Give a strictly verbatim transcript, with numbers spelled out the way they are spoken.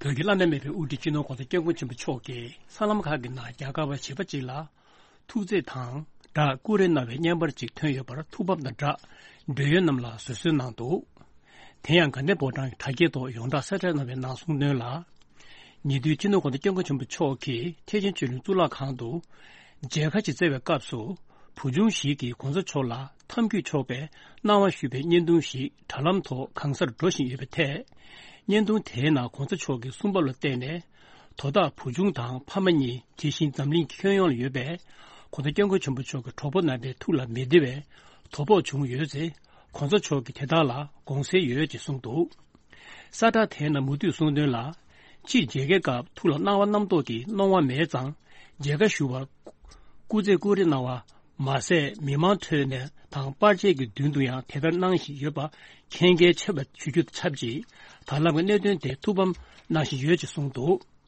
བོད་ཀྱི་བླ་ན་མེད་པའི་དབུ་ཁྲིད་སྤྱི་ནོར་༧གོང་ས་༧སྐྱབས་མགོན་ཆེན་པོ་མཆོག་གིས་སྲང་ལམ་ཁག་གི་ནང་རྒྱ་གར་བ་བྱིས་པ་གཅིག་ལ་ཐུག་རྩིས་དང་སྦྲགས་ཀུ་རེ་གནང་བའི་བརྙན་པར་གཅིག་ཐོན་ཡོད་པར་ཐུགས་ཕམ་དང་སྦྲགས་འབྲེལ་ཡོད་རྣམས་ལ་བཟོད་གསོལ་གནང་འདུག་དེ་ཡང་དགའ་ལྡན་ཕོ་བྲང་གི་དྲ་རྒྱའི་ཐོག་ཡོངས་གྲགས་གསལ་བསྒྲགས་གནང་བའི་ནང་གསུངས་དོན་ལ། ཉེ་དུས་སྤྱི་ནོར་༧གོང་ས་༧སྐྱབས་མགོན་ཆེན་པོ་མཆོག་གིས་ཐེག་ཆེན་ཆོས་གླིང་གཙུག་ལག་ཁང་དུ། མཇལ་ཁ་ཅིག་བསྩལ་བའི་སྐབས་སུ། བུ་ཆུང་ཞིག་གིས་༧གོང་ས་མཆོག་ལ་འཐམ་འཁྱུད་ཆོག་པའི་གནང་བ་ཞུས་པའི་བརྙན་ཐུང་ཞིག་དྲ་ལམ་ཐོག་གང་སར་འགྲོ་བཞིན་ཡོད་པའི་ཐད། བརྙན་ཐུང་དེའི་ནང་༧གོང་ས་མཆོག་གིས་གསུངས་པ་ལ་བལྟས་ནས། དོ་བདག་བུ་ཆུང་དང་ཕ་མ་གཉིས་དེ་བཞིན་འཛམ་གླིང་གི་ཁྱོན་ཡོངས་ལ་ཡོད་པའི་༧གོང་ས་༧སྐྱབས་མགོན་ཆེན་པོ་མཆོག་གི་གྲོགས་པོ་རྣམ་པའི་ཐུགས་ལ་མི་བདེ་བའི་དོ་ཕོག་བྱུང་ཡོད་ཚེ། ༧གོང་ས་མཆོག་གིས་དེ་དག་ལ་དགོངས་སེལ་ཡོད་ཅེས་གསུངས་འདུག་གསལ་བསྒྲགས་དེའི་ནང་མུ་མཐུད་གསུངས་དོན་ལ། ཕྱིས་མཇལ་ཁའི་སྐབས་ཐུགས་ལ་སྣང་བ་རྣམ་རྟོག་གི་སྣང་བ་མེད་ཙང་། མཇལ་ཁ་ཞུ་བར་སྐུ་རྩེད་ཀུ་རེ་གནང་བ་མ་ཟད། མི་མང་ཁྲོད་ནས་དང་པར་ཆས་ཀྱི་མདུན་དུ་ཡང་དེ་ལྟར་གནང་བཞིན་ཡོད་པ་མཁྱེན་གལ་ཆེ་བ་ཞུ་རྒྱུ་དང་ཆབས་ཅིག་ད་ལམ་གྱི་གནད་དོན་དེ་ཐུགས་ཕམ་གནང་བཞིན་ཡོད་ཅེས་གསུངས་འདུག